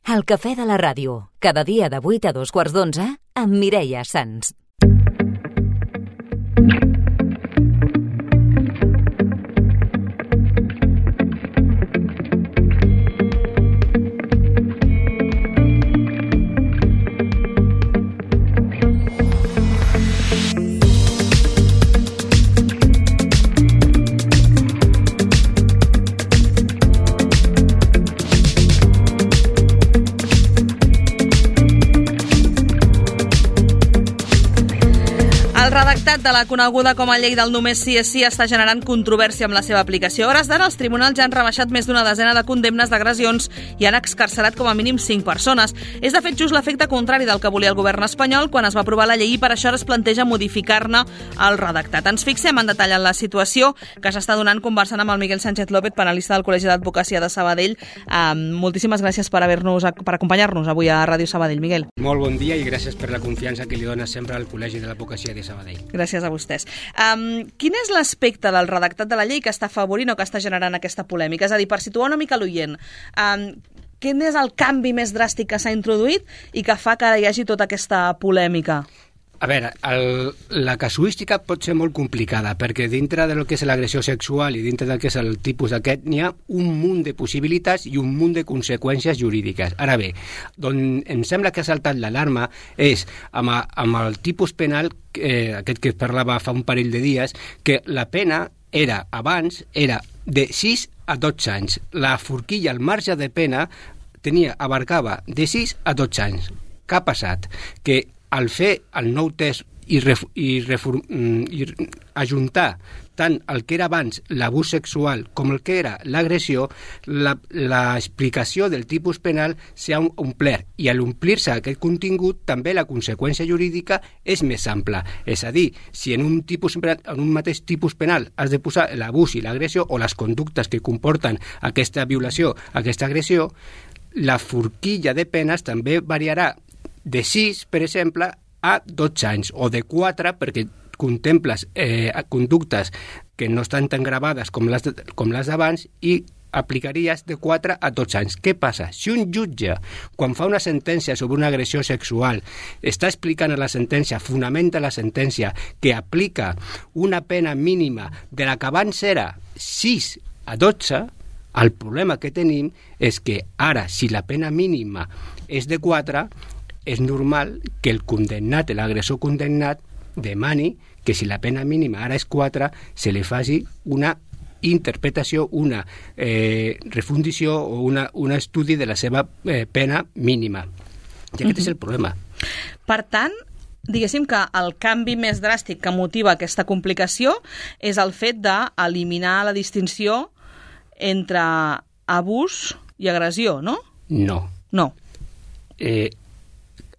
El cafè de la ràdio, cada dia de 8 a 2:15 amb Mireia Sans. El redactat de la coneguda com a llei del només sí és sí està generant controvèrsia amb la seva aplicació. A hores d'ara, els tribunals ja han rebaixat més d'una desena de condemnes d'agressions i han excarcerat com a mínim 5 persones. És, de fet, just l'efecte contrari del que volia el govern espanyol quan es va aprovar la llei i per això ara es planteja modificar-ne el redactat. Ens fixem en detall en la situació que s'està donant conversant amb el Miguel Sánchez López, panelista del Col·legi d'Advocacia de Sabadell. Moltíssimes gràcies per acompanyar-nos avui a Ràdio Sabadell, Miguel. Molt bon dia i gràcies per la confiança que li dona sempre al Col·legi de l'Advocacia de Sabadell. Gràcies a vostès. Quin és l'aspecte del redactat de la llei que està afavorint o que està generant aquesta polèmica? És a dir, per situar una mica l'oient, quin és el canvi més dràstic que s'ha introduït i que fa que hi hagi tota aquesta polèmica? A veure, la casuística pot ser molt complicada perquè dintre del que és l'agressió sexual i dintre del que és el tipus d'aquest n'hi ha un munt de possibilitats i un munt de conseqüències jurídiques. Ara bé, d'on em sembla que ha saltat l'alarma és amb el tipus penal, aquest que parlava fa un parell de dies, que la pena abans era de 6 a 12 anys. La forquilla, el marge de pena, abarcava de 6 a 12 anys. Què ha passat? Que al fer el nou test i ajuntar tant el que era abans l'abús sexual com el que era l'agressió, l'explicació del tipus penal s'ha omplert i a l'omplir-se aquest contingut també la conseqüència jurídica és més ampla. És a dir, si en un mateix tipus penal has de posar l'abús i l'agressió o les conductes que comporten aquesta violació, aquesta agressió, la forquilla de penes també variarà de 6, per exemple, a 12 anys, o de 4, perquè contemples conductes que no estan tan gravades com les d'abans i aplicaries de 4 a 12 anys. Què passa? Si un jutge, quan fa una sentència sobre una agressió sexual, està explicant a la sentència, fonamenta la sentència, que aplica una pena mínima de la que abans era 6 a 12, el problema que tenim és que ara, si la pena mínima és de 4, és normal que el condemnat, l'agressor condemnat, demani que si la pena mínima ara és 4, se li faci una interpretació, una refundició o un estudi de la seva pena mínima. I aquest és el problema. Per tant, diguéssim que el canvi més dràstic que motiva aquesta complicació és el fet d'eliminar la distinció entre abús i agressió, no? No.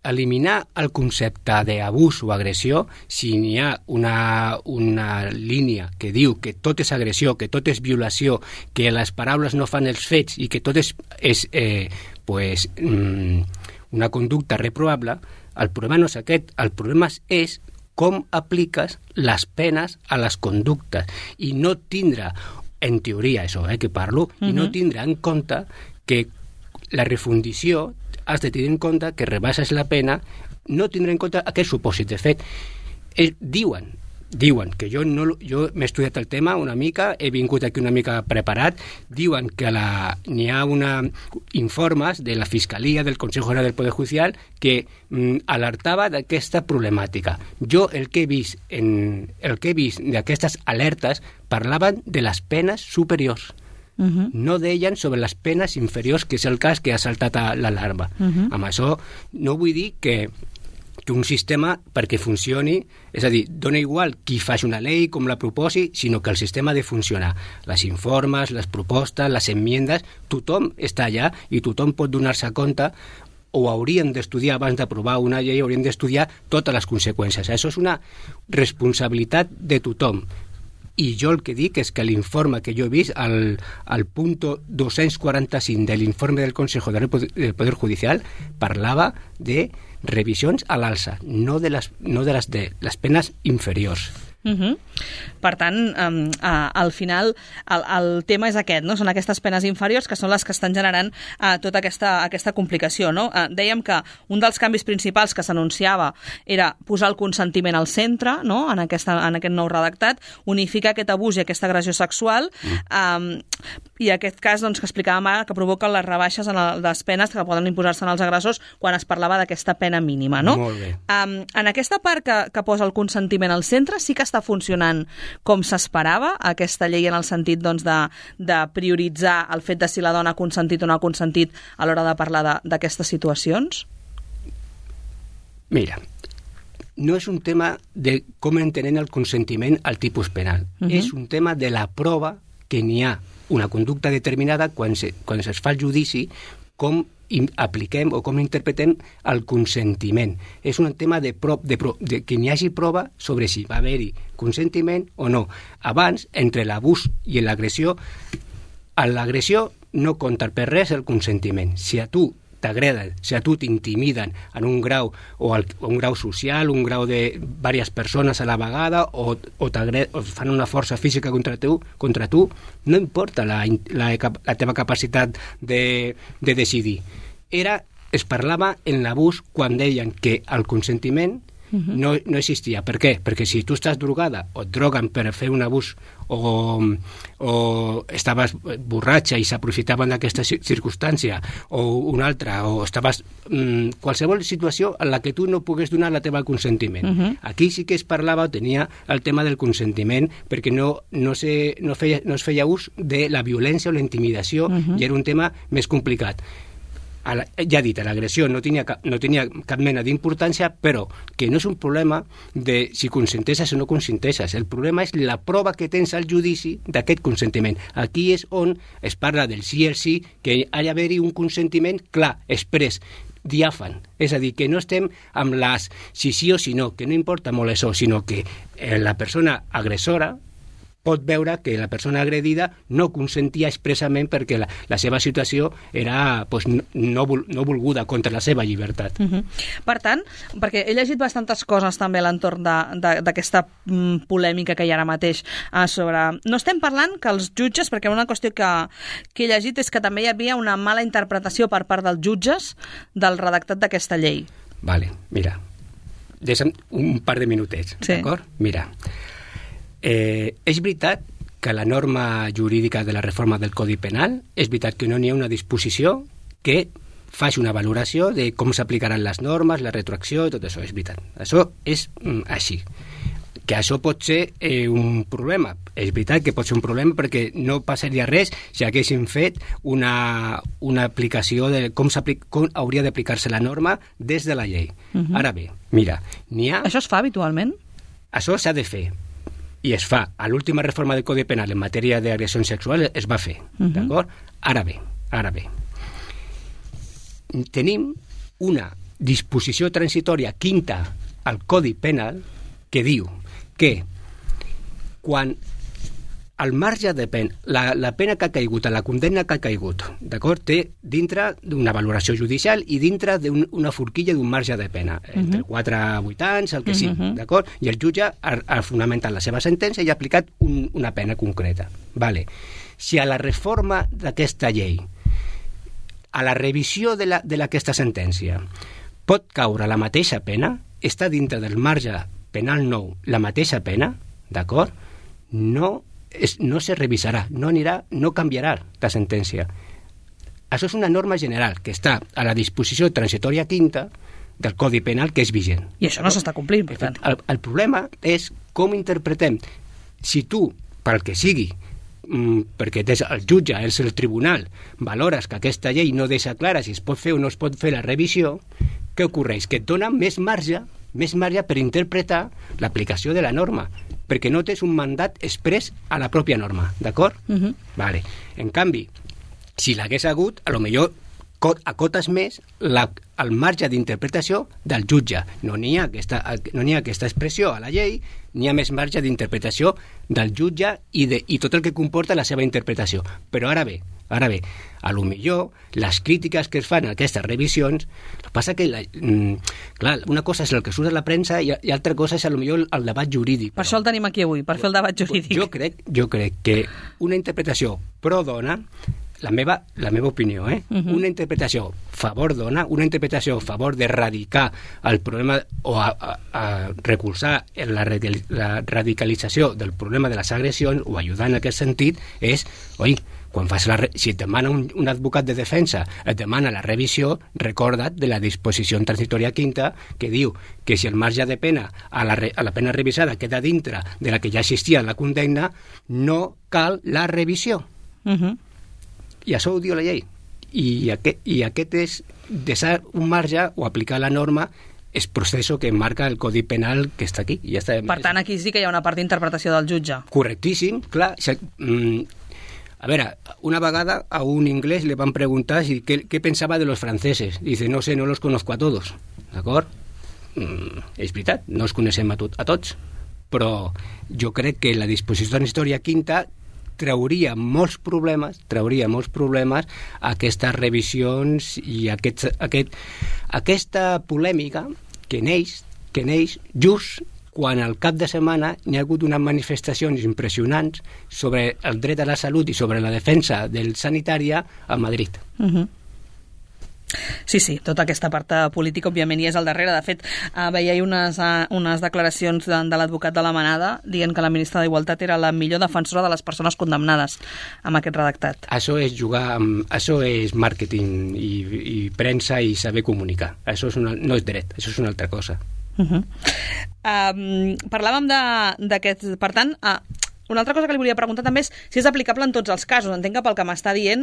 Eliminar el concepte d'abús o agressió, si n'hi ha una línia que diu que tot és agressió, que tot és violació, que les paraules no fan els fets i que tot és una conducta reprovable, el problema no és aquest, el problema és com apliques les penes a les conductes i no tindre, en teoria això que parlo, i no tindre en compte que la refundició has de tenir en compte que rebaixes la pena, no tindre en compte aquest supòsit. De fet, diuen que jo m'he estudiat el tema una mica, he vingut aquí una mica preparat, diuen que n'hi ha informes de la Fiscalia, del Consejo General del Poder Judicial, que alertava d'aquesta problemàtica. Jo el que he vist d'aquestes alertes parlaven de les penes superiors. No deien sobre les penes inferiors, que és el cas que ha saltat l'alarma. Amb això no vull dir que un sistema, perquè funcioni, és a dir, dona igual qui faci una llei, com la proposi, sinó que el sistema ha de funcionar. Les informes, les propostes, les enmiendes, tothom està allà i tothom pot donar-se compte o haurien d'estudiar abans d'aprovar una llei, haurien d'estudiar totes les conseqüències. Això és una responsabilitat de tothom. I jo el que dic és que l'informe que jo he vist, al punt 245 de l'informe del Consejo del Poder Judicial, parlava de revisions a l'alça, no de les penes inferiors. Per tant, al final, el tema és aquest, no? Són aquestes penes inferiors que són les que estan generant tota aquesta complicació, no? Dèiem que un dels canvis principals que s'anunciava era posar el consentiment al centre, no? En aquest nou redactat, unificar aquest abús i aquesta agressió sexual, i aquest cas doncs, que explicàvem ara, que provoquen les rebaixes en les penes que poden imposar-se als agressors quan es parlava d'aquesta pena mínima, no? Molt bé. En aquesta part que posa el consentiment al centre sí que està funcionant com s'esperava aquesta llei en el sentit doncs, de prioritzar el fet de si la dona ha consentit o no ha consentit a l'hora de parlar d'aquestes situacions? Mira, no és un tema de com entenem el consentiment al tipus penal. És un tema de la prova que n'hi ha una conducta determinada quan es fa el judici, com apliquem o com interpretem el consentiment. És un tema de que n'hi hagi prova sobre si va haver-hi consentiment o no. Abans, entre l'abús i l'agressió, a l'agressió no compta per res el consentiment. Si a tu t'agraden, si a tu t'intimiden en un grau o un grau social, un grau de diverses persones a la vegada o fan una força física contra tu, no importa la teva capacitat de decidir. Es parlava en l'abús quan deien que el consentiment no existia. Per què? Perquè si tu estàs drogada o et droguen per fer un abús o estaves borratxa i s'aprofitaven d'aquesta circumstància o una altra, o estaves qualsevol situació en la que tu no pogués donar la teva consentiment. Aquí sí que es parlava, tenia el tema del consentiment, perquè no es feia ús de la violència o la intimidació, i era un tema més complicat. Ja he dit, l'agressió no tenia cap mena d'importància, però que no és un problema de si consenteixes o no consenteixes. El problema és la prova que tens al judici d'aquest consentiment. Aquí és on es parla del sí i el sí, que ha d'haver-hi un consentiment clar, exprés, diàfan. És a dir, que no estem amb les si sí o si no, que no importa molt això, sinó que la persona agressora pot veure que la persona agredida no consentia expressament perquè la seva situació era no volguda contra la seva llibertat. Per tant, perquè he llegit bastantes coses també a l'entorn d'aquesta polèmica que hi ha ara mateix sobre... No estem parlant que els jutges, perquè una qüestió que he llegit és que també hi havia una mala interpretació per part dels jutges del redactat d'aquesta llei. Vale, mira, deixa'm un par de minutets, d'acord? Mira, és veritat que la norma jurídica de la reforma del Codi Penal, és veritat que no n'hi ha una disposició que faci una valoració de com s'aplicaran les normes, la retroacció i tot això, és veritat. Això és així. Que això pot ser un problema. És veritat que pot ser un problema perquè no passaria res si haguéssim fet una aplicació de com hauria d'aplicar-se la norma des de la llei. Ara bé, mira, n'hi ha... Això es fa habitualment? Això s'ha de fer. I es fa. A l'última reforma del Codi Penal en matèria d'agressions sexuals es va fer. D'acord? Ara bé. Tenim una disposició transitòria quinta al Codi Penal que diu que quan el marge de pena, la pena que ha caigut, la condemna que ha caigut, d'acord, té dintre d'una valoració judicial i dintre d'una forquilla d'un marge de pena, entre 4 a 8 anys, el que sigui, d'acord? I el jutge ha fonamentat la seva sentència i ha aplicat una pena concreta. Vale. Si a la reforma d'aquesta llei, a la revisió d'aquesta sentència, pot caure la mateixa pena, està dintre del marge penal nou la mateixa pena, d'acord? No se revisarà, no canviarà la sentència. Això és una norma general que està a la disposició transitòria quinta del Codi Penal que és vigent. I això no s'està complint, per tant. El problema és com interpretem. Si tu, pel que sigui, perquè el jutge, és el tribunal, valores que aquesta llei no deixa clara si es pot fer o no es pot fer la revisió, què ocorreix? Que et dona més marge per interpretar l'aplicació de la norma, perquè no tens un mandat exprés a la pròpia norma, d'acord? Vale. En canvi, si l'hagués hagut, a lo millor acotes més el marge d'interpretació del jutge. No n'hi ha aquesta expressió a la llei, n'hi ha més marge d'interpretació del jutge i tot el que comporta la seva interpretació. Però ara bé, a lo millor les crítiques que es fan a aquestes revisions, el que passa que clar, una cosa és el que surt a la premsa i altra cosa és a lo millor el debat jurídic. Per això el tenim aquí avui, per fer el debat jurídic. Jo crec que una interpretació pro-dona, la meva opinió, una interpretació favor dona, una interpretació a favor d'erradicar el problema o a recolzar la radicalització del problema de les agressions o ajudar en aquest sentit és, quan si et demana un advocat de defensa, et demana la revisió, recorda't de la disposició transitòria quinta que diu que si el marge de pena a la pena revisada queda dintre de la que ja existia en la condemna, no cal la revisió. I això ho diu la llei. I aquest és deixar un marge o aplicar la norma és procés que marca el Codi Penal que està aquí. Ja està. Per tant, aquí sí que hi ha una part d'interpretació del jutge. Correctíssim, clar. A veure, una vegada a un inglès le van preguntar què pensava de los franceses. Dice, no sé, no los conozco a todos. D'acord? És veritat, no els coneixem a tots. Però jo crec que la disposició transitòria quinta trauria molts problemes a aquestes revisions i aquesta polèmica que neix just quan al cap de setmana hi ha hagut unes manifestacions impressionants sobre el dret a la salut i sobre la defensa del sanitària a Madrid. Sí, tota aquesta part política òbviament hi és al darrere. De fet, veia unes declaracions de l'advocat de la Manada dient que la ministra d'Igualtat era la millor defensora de les persones condemnades amb aquest redactat. Això és màrqueting i premsa i saber comunicar. Això no és dret, això és una altra cosa. Parlàvem d'aquest... Per tant, una altra cosa que li volia preguntar també és si és aplicable en tots els casos. Entenc que pel que m'està dient,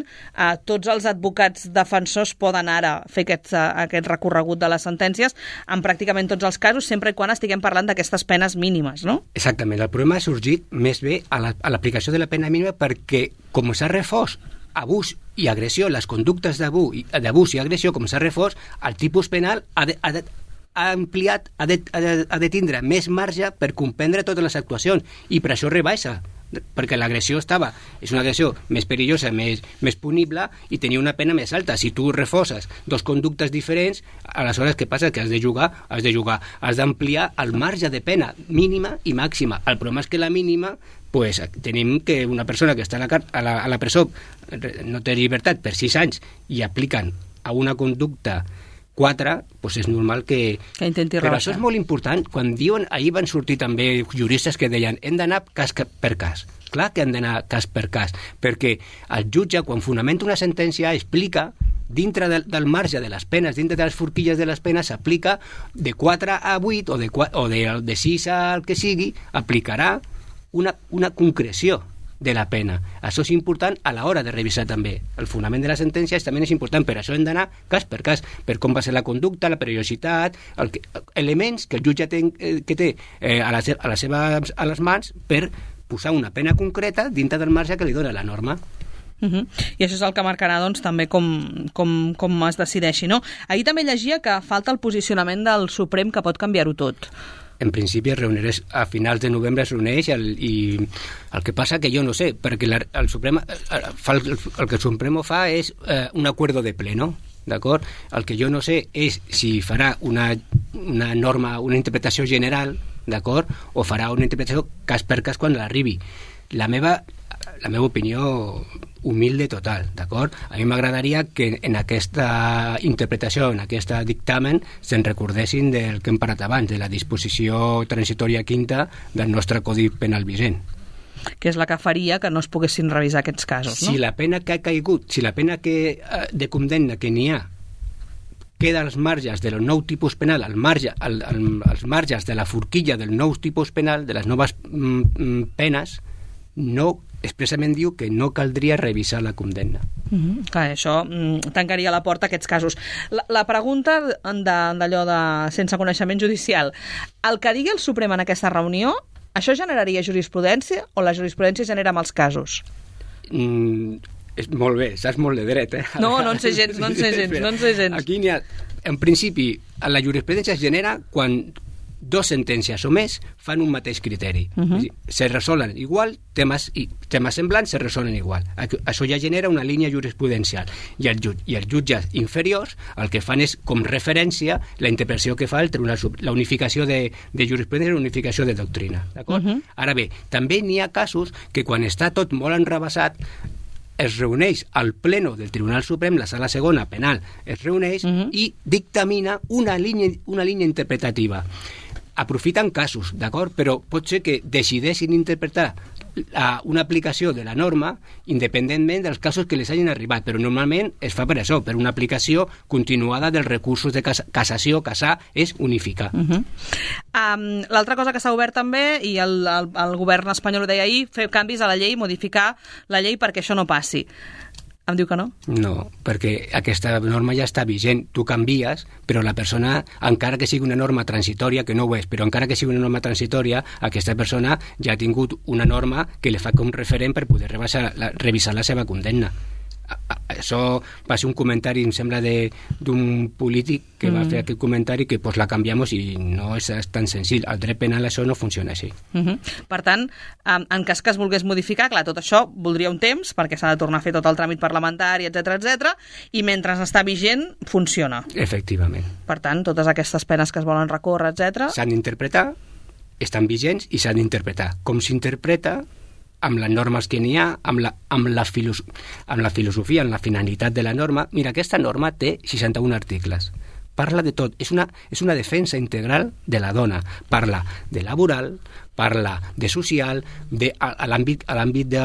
tots els advocats defensors poden ara fer aquest recorregut de les sentències en pràcticament tots els casos, sempre i quan estiguem parlant d'aquestes penes mínimes, no? Exactament. El problema ha sorgit més bé a l'aplicació de la pena mínima perquè, com s'ha refós abús i agressió, les conductes d'abús i agressió, com s'ha refós, el tipus penal ha ampliat, ha de tindre més marge per comprendre totes les actuacions i per això rebaixa, perquè l'agressió és una agressió més perillosa, més punible i tenia una pena més alta. Si tu refoses dos conductes diferents, aleshores què passa? Que has d'ampliar el marge de pena mínima i màxima. El problema és que la mínima tenim que una persona que està a la presó no té llibertat per 6 anys i apliquen a una conducta 4, doncs és normal que intenti rebaixar. Però això és molt important. Quan diuen, ahir van sortir també juristes que deien hem d'anar cas per cas. Clar que hem d'anar cas per cas, perquè el jutge, quan fonamenta una sentència, explica dintre del marge de les penes, dintre de les forquilles de les penes, s'aplica de 4 a 8 o de 6 al que sigui, aplicarà una concreció de la pena. Això és important a l'hora de revisar també. El fonament de les sentències també és important, per això hem d'anar cas per cas, per com va ser la conducta, la perillositat, elements que el jutge té a les mans per posar una pena concreta dintre del marge que li dona la norma. I això és el que marcarà doncs, també com es decideixi, no? Ahir també llegia que falta el posicionament del Suprem que pot canviar-ho tot. En principi a finals de novembre es reuneix i el que passa que jo no sé, perquè el que el Supremo fa és un acuerdo de pleno, d'acord? El que jo no sé és si farà una norma, una interpretació general, d'acord? O farà una interpretació cas per cas quan l'arribi. La meva opinió humilde total, d'acord? A mi m'agradaria que en aquesta interpretació, en aquest dictamen, se'n recordessin del que hem parlat abans, de la disposició transitòria quinta del nostre Codi Penal vigent. Que és la que faria que no es poguessin revisar aquests casos, no? Si la pena que ha caigut, si la pena de condemna que n'hi ha queda als marges del nou tipus penal, als marges de la forquilla del nou tipus penal, de les noves penes, no expressament diu que no caldria revisar la condemna. Clar, això tancaria la porta a aquests casos. La pregunta d'allò de sense coneixement judicial, el que digui el Suprem en aquesta reunió, això generaria jurisprudència o la jurisprudència genera mals casos? Molt bé, saps molt de dret, eh? No en sé gens. Aquí n'hi ha... En principi, la jurisprudència es genera quan dos sentències o més fan un mateix criteri. Se resolen igual, temes semblants se resolen igual. Això ja genera una línia jurisprudencial. I els jutges inferiors el que fan és, com referència, la interpretació que fa el Tribunal Suprem, la unificació de jurisprudència i la unificació de doctrina. D'acord? Ara bé, també n'hi ha casos que quan està tot molt enrabassat es reuneix al pleno del Tribunal Suprem, la sala segona penal es reuneix i dictamina una línia interpretativa. Aprofiten casos, d'acord? Però pot ser que decideixin interpretar una aplicació de la norma independentment dels casos que les hagin arribat, però normalment es fa per això, per una aplicació continuada dels recursos de cassació. Cassar és unificar. L'altra cosa que s'ha obert també, i el govern espanyol ho deia ahir, fer canvis a la llei, modificar la llei perquè això no passi. Em diu que no? No, perquè aquesta norma ja està vigent. Tu canvies, però la persona, encara que sigui una norma transitòria, que no ho és, però encara que sigui una norma transitòria, aquesta persona ja ha tingut una norma que li fa com referent per poder revisar la seva condemna. Això va ser un comentari, em sembla, d'un polític que va fer aquest comentari que la canviamos i no és tan senzill. Al dret penal això no funciona així. Per tant, en cas que es volgués modificar, clar, tot això voldria un temps perquè s'ha de tornar a fer tot el tràmit parlamentari, etc, i mentre està vigent, funciona. Efectivament. Per tant, totes aquestes penes que es volen recórrer, etc. S'han d'interpretar, estan vigents i s'han d'interpretar. Com s'interpreta amb les normes que n'hi ha, amb la filosofia, amb la finalitat de la norma. Mira, aquesta norma té 61 articles. Parla de tot. És una defensa integral de la dona. Parla de laboral, parla de social, a l'àmbit de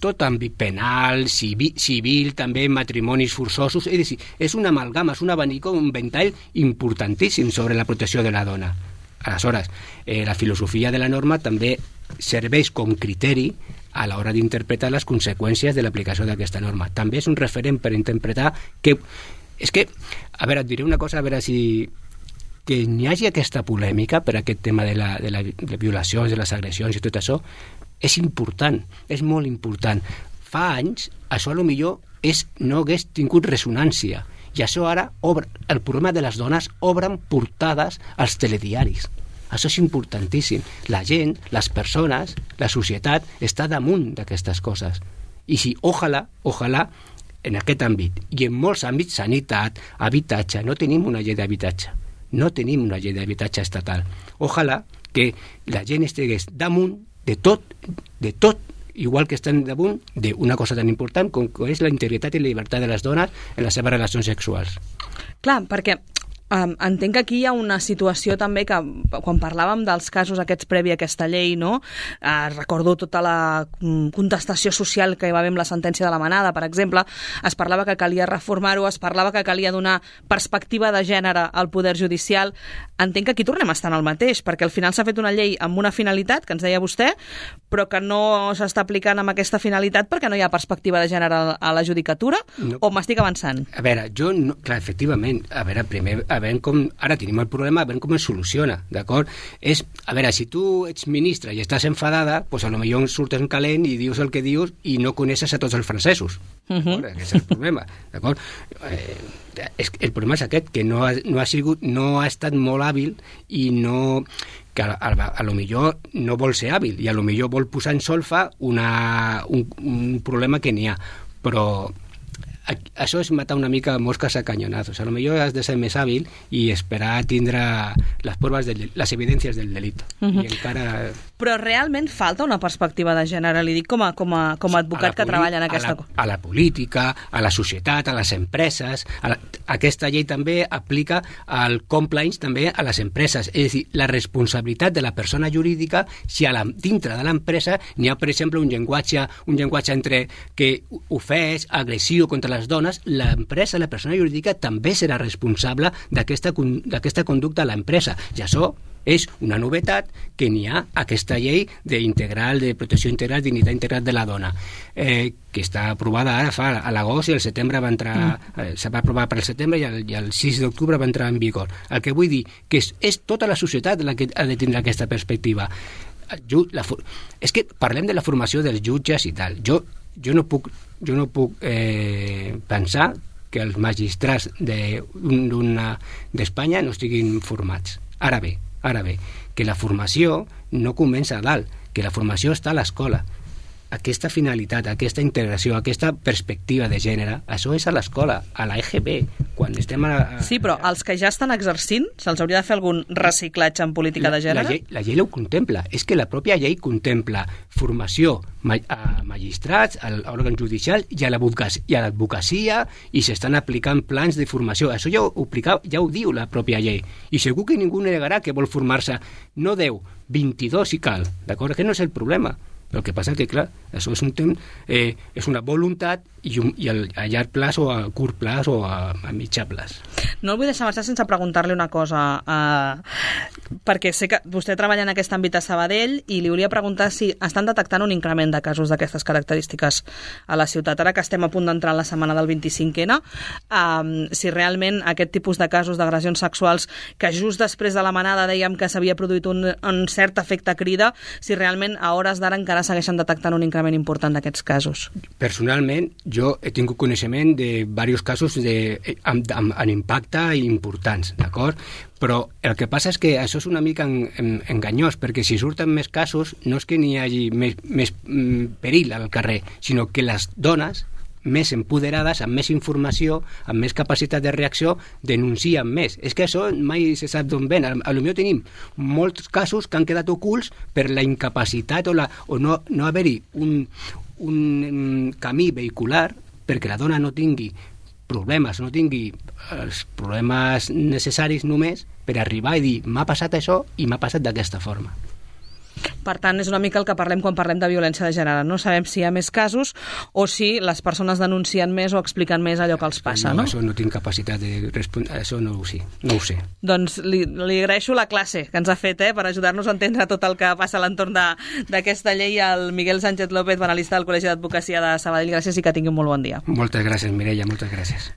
tot àmbit penal, civil, també matrimonis forçosos. És a dir, és una amalgama, és un abanico, un ventall importantíssim sobre la protecció de la dona. Aleshores, la filosofia de la norma també serveix com criteri a l'hora d'interpretar les conseqüències de l'aplicació d'aquesta norma. També és un referent per interpretar que... És que, a veure, et diré una cosa, a veure si... Que n'hi hagi aquesta polèmica per aquest tema de les violacions, de les agressions i tot això, és important, és molt important. Fa anys, això potser no hagués tingut ressonància. I això ara, el problema de les dones, obren portades als telediaris. Això és importantíssim. La gent, les persones, la societat està damunt d'aquestes coses. I si, ojalà, en aquest àmbit, i en molts àmbits, sanitat, habitatge, no tenim una llei d'habitatge. No tenim una llei d'habitatge estatal. Ojalà que la gent estigués damunt de tot, igual que estan damunt d'una cosa tan important com és la integritat i la llibertat de les dones en les seves relacions sexuals. Clar, perquè entenc que aquí hi ha una situació també que quan parlàvem dels casos aquests previ a aquesta llei, no? Recordo tota la contestació social que hi va haver amb la sentència de la Manada, per exemple, es parlava que calia reformar-ho, es parlava que calia donar perspectiva de gènere al poder judicial. Entenc que aquí tornem a estar en el mateix, perquè al final s'ha fet una llei amb una finalitat, que ens deia vostè, però que no s'està aplicant amb aquesta finalitat perquè no hi ha perspectiva de gènere a la judicatura, o m'estic avançant? A veure, clar, efectivament, a veure, primer ara tenim el problema, a veure com es soluciona, d'acord? A veure, si tu ets ministra i estàs enfadada, doncs a lo millor surtes en calent i dius el que dius i no coneixes a tots els francesos. Aquest és el problema, d'acord? El problema és aquest, que no ha estat molt hàbil i no... que a lo millor no vol ser hàbil i a lo millor vol posar en solfa un problema que n'hi ha, però això és matar una mica mosques a canyonazos. A lo millor has de ser més hàbil i esperar a tindre les evidències del delit. I encara... Però realment falta una perspectiva de gènere, li dic com a advocat que treballa en aquesta... A la política, a la societat, a les empreses... Aquesta llei també aplica el compliance també a les empreses. És a dir, la responsabilitat de la persona jurídica si dintre de l'empresa n'hi ha, per exemple, un llenguatge entre que ofès, agressiu contra les dones, l'empresa, la persona jurídica també serà responsable d'aquesta conducta a l'empresa. I això és una novetat que n'hi ha aquesta llei de protecció integral, dignitat integral de la dona, que està aprovada ara a l'agost i al setembre va entrar, se va aprovar per al setembre i el 6 d'octubre va entrar en vigor. El que vull dir que és tota la societat la que ha de tindre aquesta perspectiva. És que parlem de la formació dels jutges i tal. jo no puc pensar que els magistrats d'Espanya no estiguin formats. Ara bé, que la formació no comença a dalt, que la formació està a l'escola. Aquesta finalitat, aquesta integració, aquesta perspectiva de gènere, això és a l'escola, a la EGB, quan estem Sí, però els que ja estan exercint, se'ls hauria de fer algun reciclatge en política de gènere? La llei ho contempla. És que la pròpia llei contempla formació a magistrats, a l'òrgan judicial i a l'advocacia, i s'estan aplicant plans de formació. Això ja ho diu la pròpia llei. I segur que ningú negarà que vol formar-se no 10, 22 si cal, d'acord? Que no és el problema. El que passa que, clar, això és un temps, és una voluntat i a llarg plaç o a curt plaç o a mitjà plaç. No el vull deixar marxar sense preguntar-li una cosa, perquè sé que vostè treballa en aquest àmbit a Sabadell i li volia preguntar si estan detectant un increment de casos d'aquestes característiques a la ciutat. Ara que estem a punt d'entrar en la setmana del 25N, si realment aquest tipus de casos d'agressions sexuals, que just després de la manada dèiem que s'havia produït un cert efecte crida, si realment a hores d'ara encara segueixen detectant un increment important d'aquests casos. Personalment, jo he tingut coneixement de diversos casos amb impacte importants, d'acord? Però el que passa és que això és una mica enganyós, perquè si surten més casos no és que n'hi hagi més perill al carrer, sinó que les dones més empoderades, amb més informació, amb més capacitat de reacció, denuncien més. És que això mai se sap d'on ven. Potser tenim molts casos que han quedat ocults per la incapacitat o no haver-hi un camí vehicular perquè la dona no tingui problemes, no tingui els problemes necessaris només per arribar i dir m'ha passat això i m'ha passat d'aquesta forma. Per tant, és una mica el que parlem quan parlem de violència de gènere. No sabem si hi ha més casos o si les persones denuncien més o expliquen més allò que els passa, no? Això no tinc capacitat de respondre, això no ho sé. Doncs li agraeixo la classe que ens ha fet per ajudar-nos a entendre tot el que passa a l'entorn d'aquesta llei. El Miguel Sánchez López, analista del Col·legi d'Advocacia de Sabadell. Gràcies i que tingui un molt bon dia. Moltes gràcies, Mireia, moltes gràcies.